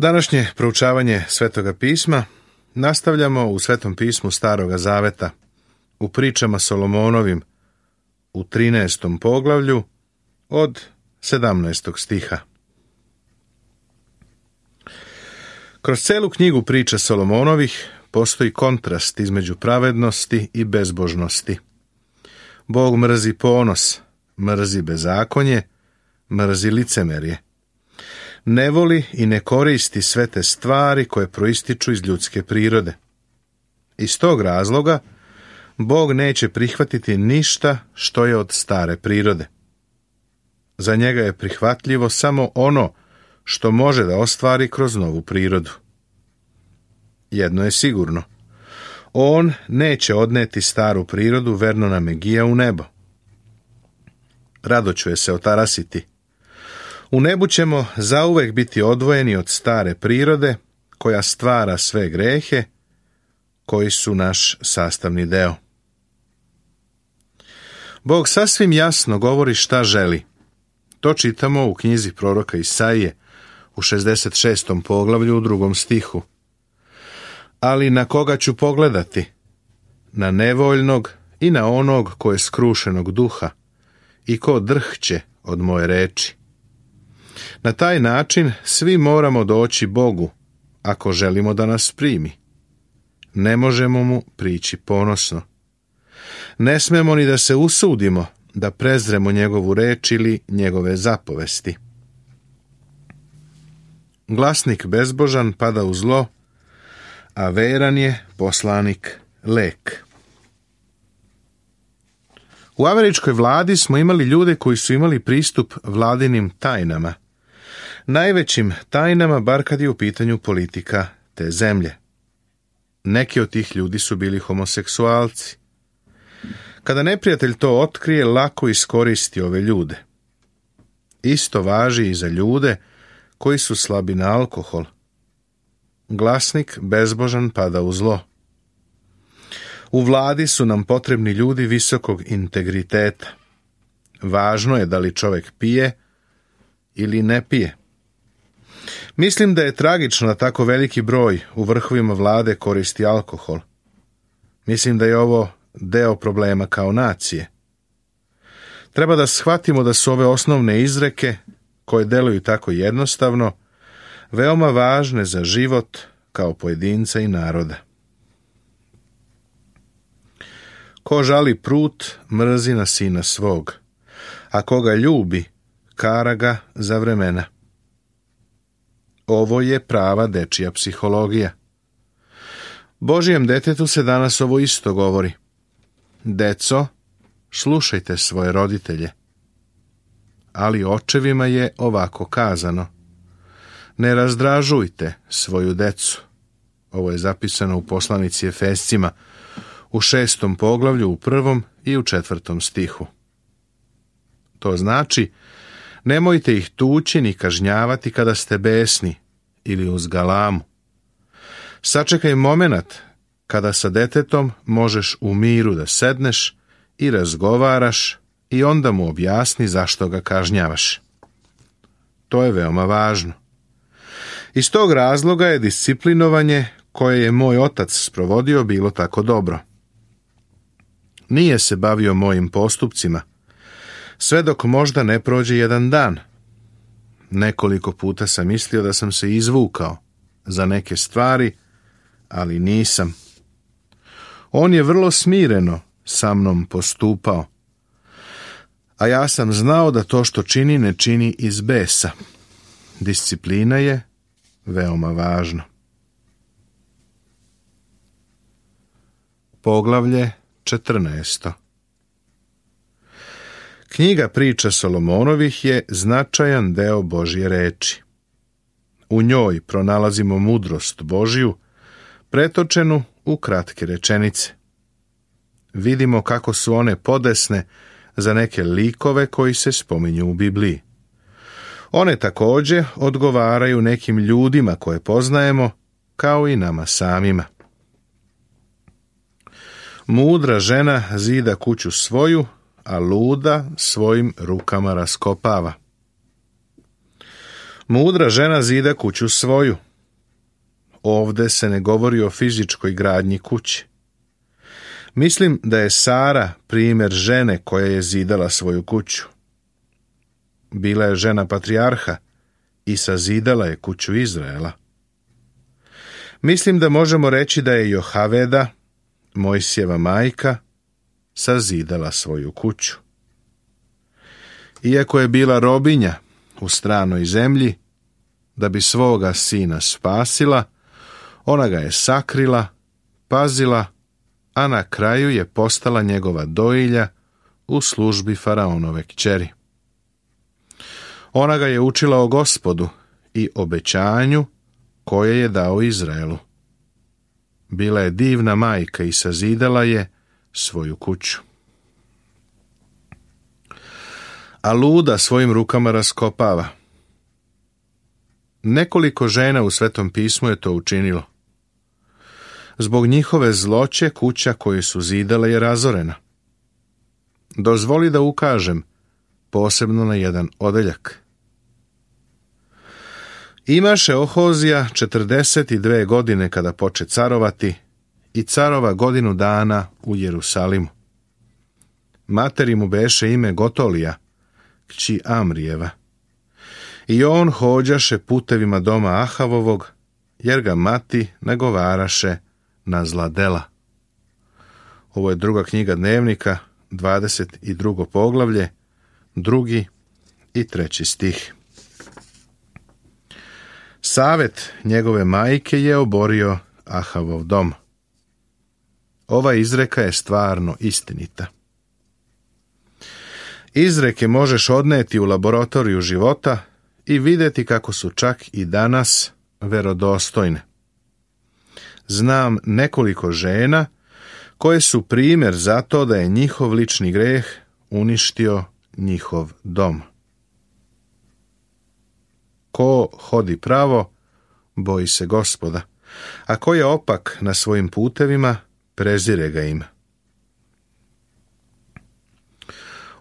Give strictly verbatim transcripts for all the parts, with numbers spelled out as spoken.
Današnje proučavanje Svetoga pisma nastavljamo u Svetom pismu Staroga zaveta, u pričama Solomonovim, u trinaestom poglavlju od sedamnaestog stiha. Kroz celu knjigu priča Solomonovih postoji kontrast između pravednosti i bezbožnosti. Bog mrzi ponos, mrzi bezakonje, mrzi licemerje. Ne voli i ne koristi sve te stvari koje proističu iz ljudske prirode. Iz tog razloga Bog neće prihvatiti ništa što je od stare prirode. Za njega je prihvatljivo samo ono što može da ostvari kroz novu prirodu. Jedno je sigurno. On neće odneti staru prirodu Vernona Megija u nebo. Rado ću je se otarasiti. U nebu ćemo zauvek biti odvojeni od stare prirode koja stvara sve grehe koji su naš sastavni deo. Bog sasvim jasno govori šta želi. To čitamo u knjizi proroka Isaije u šezdeset šestom poglavlju u drugom stihu. Ali na koga ću pogledati? Na nevoljnog i na onog ko je skrušenog duha i ko drhće od moje reči. Na taj način svi moramo doći Bogu ako želimo da nas primi. Ne možemo mu prići ponosno. Ne smemo ni da se usudimo da prezremo njegovu reč ili njegove zapovesti. Glasnik bezbožan pada u zlo, a veran je poslanik lek. U američkoj vladi smo imali ljude koji su imali pristup vladinim tajnama. Najvećim tajnama, bar kad je u pitanju politika te zemlje. Neki od tih ljudi su bili homoseksualci. Kada neprijatelj to otkrije, lako iskoristi ove ljude. Isto važi i za ljude koji su slabi na alkohol. Glasnik bezbožan pada u zlo. U vladi su nam potrebni ljudi visokog integriteta. Važno je da li čovjek pije ili ne pije. Mislim da je tragično da tako veliki broj u vrhovima vlade koristi alkohol. Mislim da je ovo deo problema kao nacije. Treba da shvatimo da su ove osnovne izreke, koje deluju tako jednostavno, veoma važne za život kao pojedinca i naroda. Ko žali prut, mrzi na sina svog, a koga ljubi, kara ga za vremena. Ovo je prava dečija psihologija. Božijem detetu se danas ovo isto govori. Deco, slušajte svoje roditelje. Ali očevima je ovako kazano. Ne razdražujte svoju decu. Ovo je zapisano u poslanici Efescima u šestom poglavlju u prvom i u četvrtom stihu. To znači, nemojte ih tući ni kažnjavati kada ste besni ili uz galamu. Sačekaj momenat kada sa detetom možeš u miru da sedneš i razgovaraš i onda mu objasni zašto ga kažnjavaš. To je veoma važno. Iz tog razloga je disciplinovanje koje je moj otac sprovodio bilo tako dobro. Nije se bavio mojim postupcima, sve dok možda ne prođe jedan dan. Nekoliko puta sam mislio da sam se izvukao za neke stvari, ali nisam. On je vrlo smireno sa mnom postupao, a ja sam znao da to što čini ne čini iz besa. Disciplina je veoma važna. Poglavlje četrnaesto. Knjiga priča Solomonovih je značajan deo Božje reči. U njoj pronalazimo mudrost Božju, pretočenu u kratke rečenice. Vidimo kako su one podesne za neke likove koji se spominju u Bibliji. One također odgovaraju nekim ljudima koje poznajemo, kao i nama samima. Mudra žena zida kuću svoju, a luda svojim rukama raskopava. Mudra žena zida kuću svoju, ovde se ne govori o fizičkoj gradnji kuće. Mislim da je Sara primjer žene koja je zidala svoju kuću. Bila je žena patrijarha i sazidala je kuću Izraela. Mislim da možemo reći da je Johaveda, Mojsijeva majka, sazidala svoju kuću. Iako je bila robinja u stranoj zemlji, da bi svoga sina spasila, ona ga je sakrila, pazila, a na kraju je postala njegova dojilja u službi faraonove kćeri. Ona ga je učila o Gospodu i obećanju koje je dao Izraelu. Bila je divna majka i sazidala je svoju kuću. A luda svojim rukama raskopava. Nekoliko žena u Svetom pismu je to učinilo. Zbog njihove zloće kuća koju su zidale je razorena. Dozvoli da ukažem posebno na jedan odeljak. Imaše Ohozija četrdeset dve godine kada poče carovati i carova godinu dana u Jerusalimu. Materi mu beše ime Gotolija, kći Amrijeva. I on hođaše putevima doma Ahavovog, jer ga mati nagovaraše na zla dela. Ovo je druga knjiga Dnevnika, dvadeset drugo poglavlje, drugi i treći stih. Savet njegove majke je oborio Ahavov dom. Ova izreka je stvarno istinita. Izreke možeš odneti u laboratoriju života i vidjeti kako su čak i danas verodostojne. Znam nekoliko žena koje su primjer za to da je njihov lični greh uništio njihov dom. Ko hodi pravo, boji se Gospoda, a ko je opak na svojim putevima, prezire ga ima.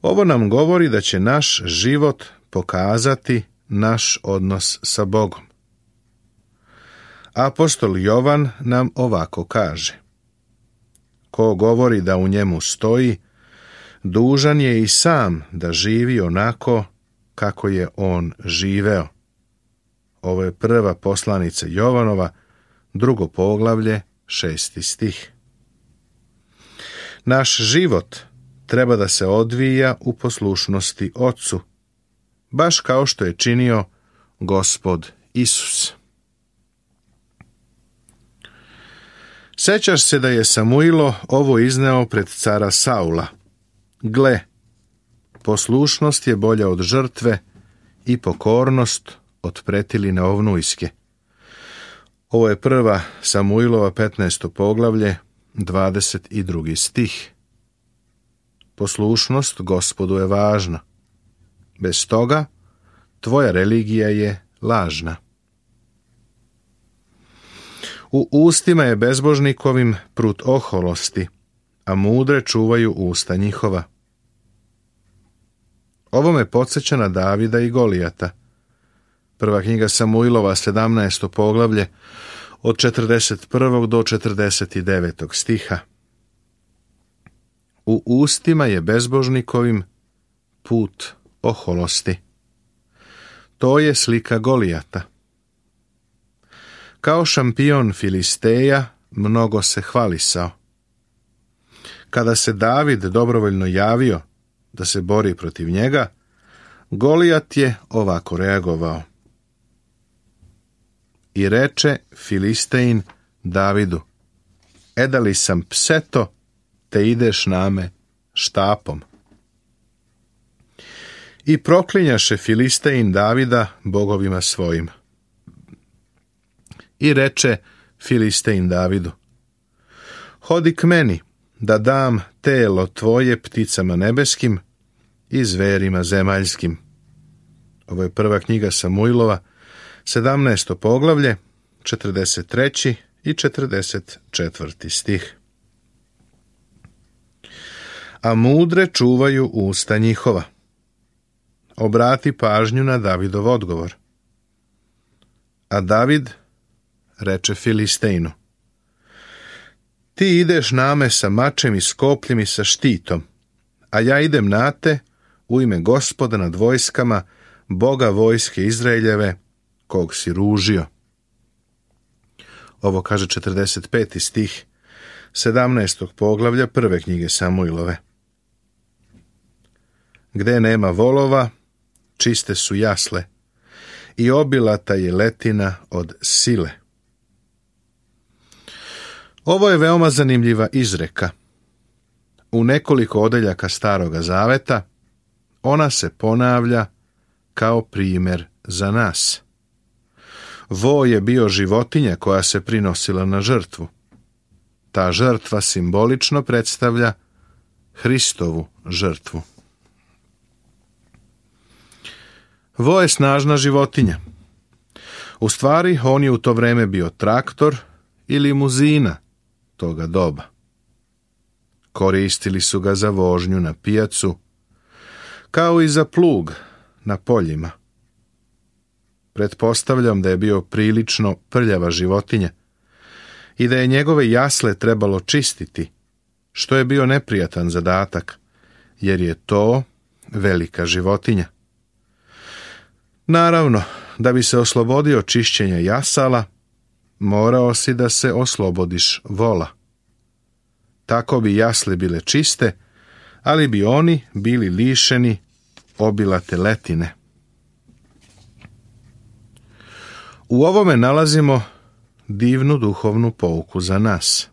Ovo nam govori da će naš život pokazati naš odnos sa Bogom. Apostol Jovan nam ovako kaže: ko govori da u njemu stoji, dužan je i sam da živi onako kako je on živeo. Ovo je prva poslanica Jovanova, drugo poglavlje, šesti stih. Naš život treba da se odvija u poslušnosti Ocu, baš kao što je činio Gospod Isus. Sećaš se da je Samuilo ovo izneo pred cara Saula. Gle, poslušnost je bolja od žrtve i pokornost od pretiline ovnujske. Ovo je prva Samuilova petnaesto poglavlje, dvadeset drugi stih. Poslušnost Gospodu je važna. Bez toga tvoja religija je lažna. U ustima je bezbožnikovim prut oholosti, a mudre čuvaju usta njihova. Ovo me podsjeća na Davida i Golijata. Prva knjiga Samuilova, sedamnaesto poglavlje, od četrdeset prvog do četrdeset devetog stiha. U ustima je bezbožnikovim put oholosti. To je slika Golijata. Kao šampion Filisteja mnogo se hvalisao. Kada se David dobrovoljno javio da se bori protiv njega, Golijat je ovako reagovao. I reče Filistein Davidu: edali sam pseto, te ideš name štapom. I proklinjaše Filistein Davida bogovima svojim. I reče Filistein Davidu: hodi k meni, da dam telo tvoje pticama nebeskim i zverima zemaljskim. Ovo je prva knjiga Samuilova, sedamnaesto poglavlje, četrdeset treći i četrdeset četvrti stih. A mudre čuvaju usta njihova. Obrati pažnju na Davidov odgovor. A David reče Filisteinu: Ti ideš na me sa mačem i s kopljem i sa štitom, a ja idem na te u ime Gospoda nad vojskama, Boga vojske Izraeljeve, kog si ružio. Ovo kaže četrdeset peti stih sedamnaestog poglavlja prve knjige Samuilove. Gde nema volova, čiste su jasle, i obilata je letina od sile. Ovo je veoma zanimljiva izreka. U nekoliko odeljaka Staroga Zaveta ona se ponavlja kao primjer za nas. Vo je bio životinja koja se prinosila na žrtvu. Ta žrtva simbolično predstavlja Hristovu žrtvu. Vo je snažna životinja. U stvari, on je u to vreme bio traktor i limuzina toga doba. Koristili su ga za vožnju na pijacu, kao i za plug na poljima. Pretpostavljam da je bio prilično prljava životinja i da je njegove jasle trebalo čistiti, što je bio neprijatan zadatak, jer je to velika životinja. Naravno, da bi se oslobodio čišćenja jasala, morao si da se oslobodiš vola. Tako bi jasle bile čiste, ali bi oni bili lišeni obilate letine. U ovome nalazimo divnu duhovnu pouku za nas.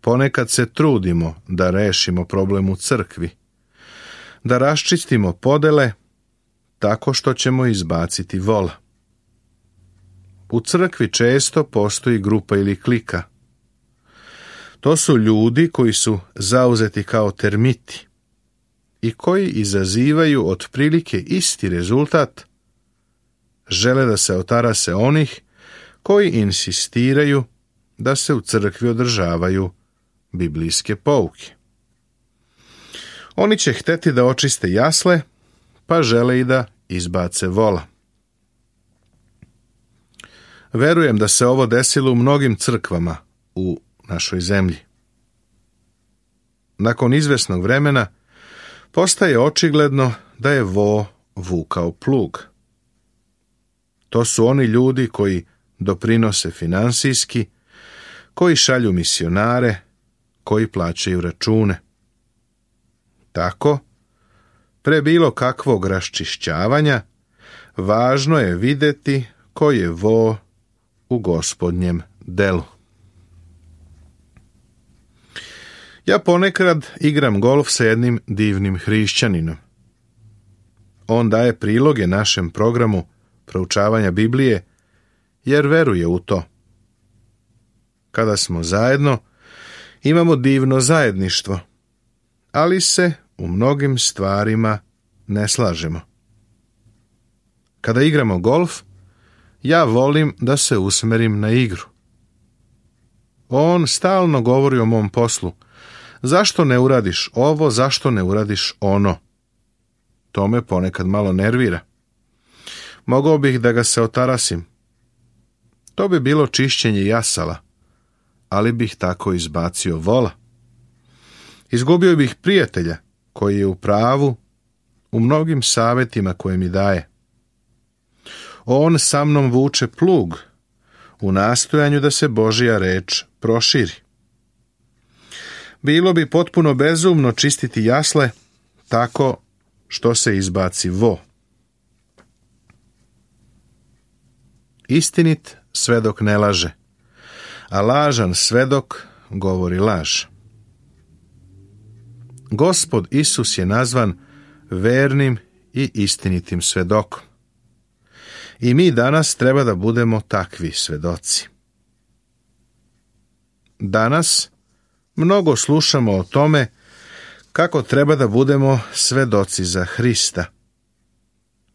Ponekad se trudimo da rešimo problem u crkvi, da raščistimo podele tako što ćemo izbaciti vola. U crkvi često postoji grupa ili klika. To su ljudi koji su zauzeti kao termiti i koji izazivaju otprilike isti rezultat. Žele da se otarase onih koji insistiraju da se u crkvi održavaju biblijske pouke. Oni će hteti da očiste jasle, pa žele i da izbace vola. Verujem da se ovo desilo u mnogim crkvama u našoj zemlji. Nakon izvesnog vremena postaje očigledno da je vo vukao plug. To su oni ljudi koji doprinose finansijski, koji šalju misionare, koji plaćaju račune. Tako, pre bilo kakvog raščišćavanja, važno je videti ko je vo u Gospodnjem delu. Ja ponekad igram golf sa jednim divnim hrišćaninom. On daje priloge našem programu proučavanja Biblije, jer veruje u to. Kada smo zajedno, imamo divno zajedništvo, ali se u mnogim stvarima ne slažemo. Kada igramo golf, ja volim da se usmerim na igru. On stalno govori o mom poslu. Zašto ne uradiš ovo, zašto ne uradiš ono? To me ponekad malo nervira. Mogao bih da ga se otarasim. To bi bilo čišćenje jasala, ali bih tako izbacio vola. Izgubio bih prijatelja koji je u pravu u mnogim savjetima koje mi daje. On sa mnom vuče plug u nastojanju da se Božja reč proširi. Bilo bi potpuno bezumno čistiti jasle tako što se izbaci vo. Istinit svedok ne laže, a lažan svedok govori laž. Gospod Isus je nazvan vernim i istinitim svedokom. I mi danas treba da budemo takvi svedoci. Danas mnogo slušamo o tome kako treba da budemo svedoci za Hrista.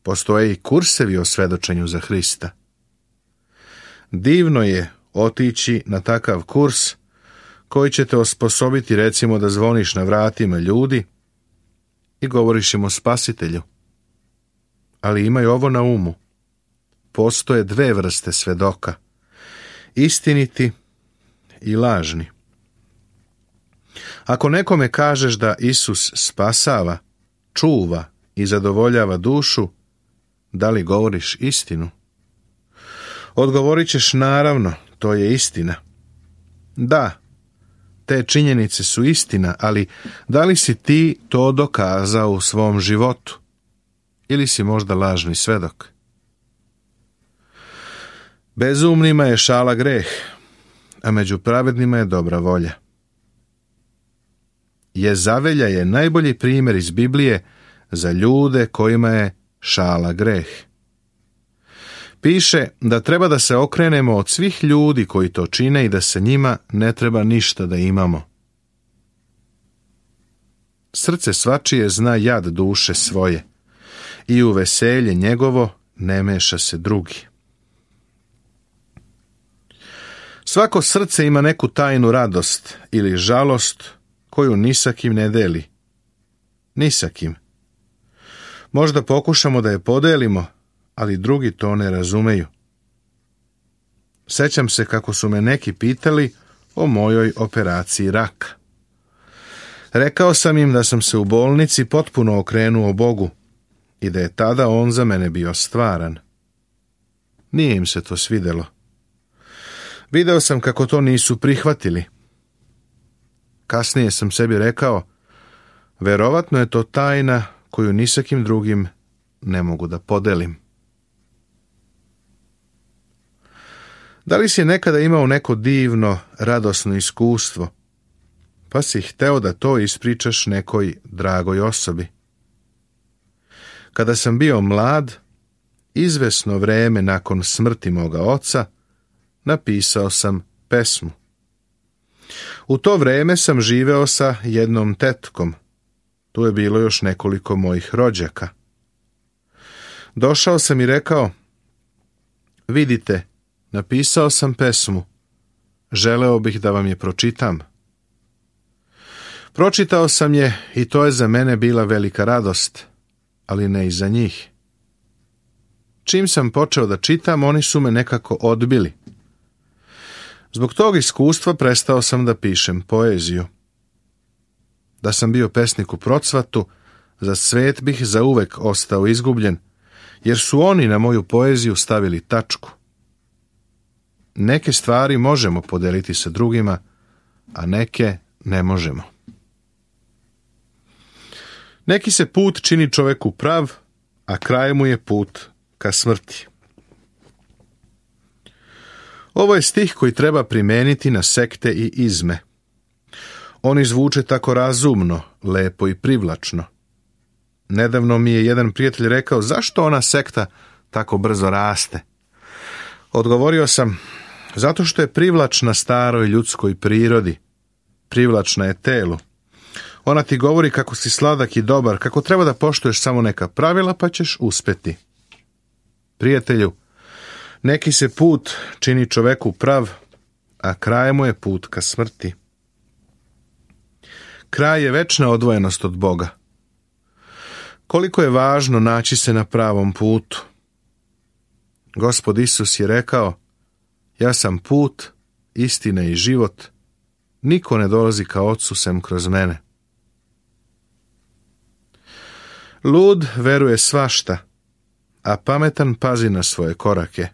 Postoje i kursevi o svedočenju za Hrista. Divno je otići na takav kurs koji će te osposobiti, recimo, da zvoniš na vratima ljudi i govoriš im o Spasitelju. Ali imaj ovo na umu. Postoje dve vrste svedoka. istiniti i lažni. Ako nekome kažeš da Isus spasava, čuva i zadovoljava dušu, da li govoriš istinu? Odgovorit ćeš naravno, to je istina. Da, te činjenice su istina, ali da li si ti to dokazao u svom životu? Ili si možda lažni svedok? Bezumnima je šala greh, a među pravednima je dobra volja. Jezavelja je najbolji primjer iz Biblije za ljude kojima je šala greh. Piše da treba da se okrenemo od svih ljudi koji to čine i da se njima ne treba ništa da imamo. Srce svačije zna jad duše svoje i u veselje njegovo ne meša se drugi. Svako srce ima neku tajnu radost ili žalost koju ni sa kim ne deli. Ni sa kim. Možda pokušamo da je podelimo, ali drugi to ne razumeju. Sećam se kako su me neki pitali o mojoj operaciji raka. Rekao sam im da sam se u bolnici potpuno okrenuo Bogu i da je tada on za mene bio stvaran. Nije im se to svidelo. Video sam kako to nisu prihvatili. Kasnije sam sebi rekao, verovatno je to tajna koju ni sa kim drugim ne mogu da podelim. Da li si nekada imao neko divno, radosno iskustvo, pa si hteo da to ispričaš nekoj dragoj osobi? Kada sam bio mlad, izvesno vreme nakon smrti moga oca, napisao sam pesmu. U to vreme sam živeo sa jednom tetkom. Tu je bilo još nekoliko mojih rođaka. Došao sam i rekao, vidite, napisao sam pesmu, želeo bih da vam je pročitam. Pročitao sam je i to je za mene bila velika radost, ali ne i za njih. Čim sam počeo da čitam, oni su me nekako odbili. Zbog tog iskustva prestao sam da pišem poeziju. Da sam bio pesnik u procvatu, za svet bih zauvek ostao izgubljen, jer su oni na moju poeziju stavili tačku. Neke stvari možemo podeliti sa drugima, a neke ne možemo. Neki se put čini čoveku prav, a kraj mu je put ka smrti. Ovo je stih koji treba primeniti na sekte i izme. Oni zvuče tako razumno, lepo i privlačno. Nedavno mi je jedan prijatelj rekao, zašto ona sekta tako brzo raste? Odgovorio sam, zato što je privlačna staroj ljudskoj prirodi. Privlačna je telu. Ona ti govori kako si sladak i dobar, kako treba da poštuješ samo neka pravila pa ćeš uspeti. Prijatelju, neki se put čini čoveku prav, a kraj mu je put ka smrti. Kraj je večna odvojenost od Boga. Koliko je važno naći se na pravom putu. Gospod Isus je rekao, ja sam put, istina i život, niko ne dolazi ka Ocu sem kroz mene. Lud veruje svašta, a pametan pazi na svoje korake.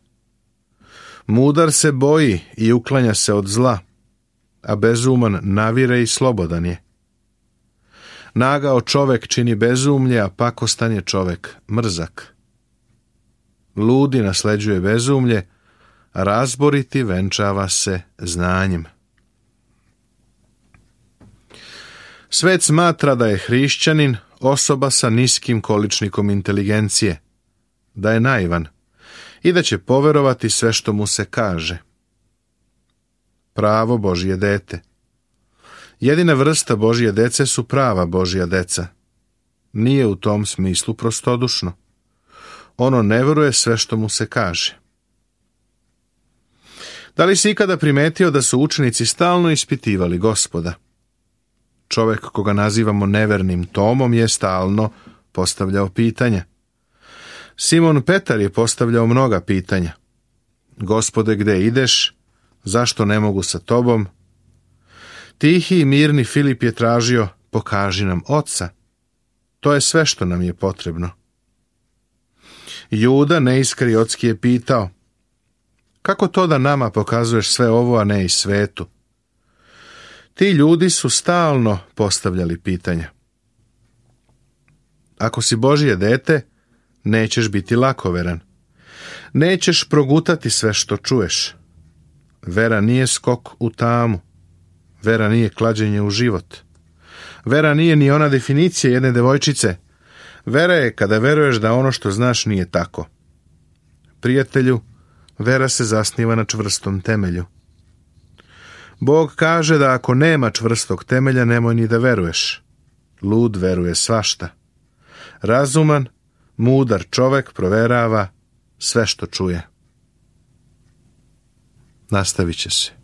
Mudar se boji i uklanja se od zla, a bezuman navire i slobodan je. Nagao čovek čini bezumlje, a pakostan je čovek mrzak. Ludi nasleđuje bezumlje, a razboriti venčava se znanjem. Svet smatra da je hrišćanin osoba sa niskim količnikom inteligencije, da je naivan i da će poverovati sve što mu se kaže. Pravo Božje dete. Jedina vrsta Božje dece su prava Božja deca. Nije u tom smislu prostodušno. Ono ne veruje sve što mu se kaže. Da li si ikada primetio da su učenici stalno ispitivali Gospoda? Čovek koga nazivamo nevernim Tomom je stalno postavljao pitanja. Simon Petar je postavljao mnoga pitanja. Gospode, gde ideš? zašto ne mogu sa tobom? Tihi i mirni Filip je tražio, pokaži nam Oca. To je sve što nam je potrebno. Juda neiskariotski je pitao, kako to da nama pokazuješ sve ovo, a ne i svetu? Ti ljudi su stalno postavljali pitanja. Ako si Božje dete, nećeš biti lakoveran. Nećeš progutati sve što čuješ. Vera nije skok u tamu. Vera nije klađenje u život. Vera nije ni ona definicija jedne devojčice. Vera je kada veruješ da ono što znaš nije tako. Prijatelju, vera se zasniva na čvrstom temelju. Bog kaže da ako nema čvrstog temelja, nemoj ni da veruješ. Lud veruje svašta. Razuman, mudar čovek proverava sve što čuje. Nastavit će se.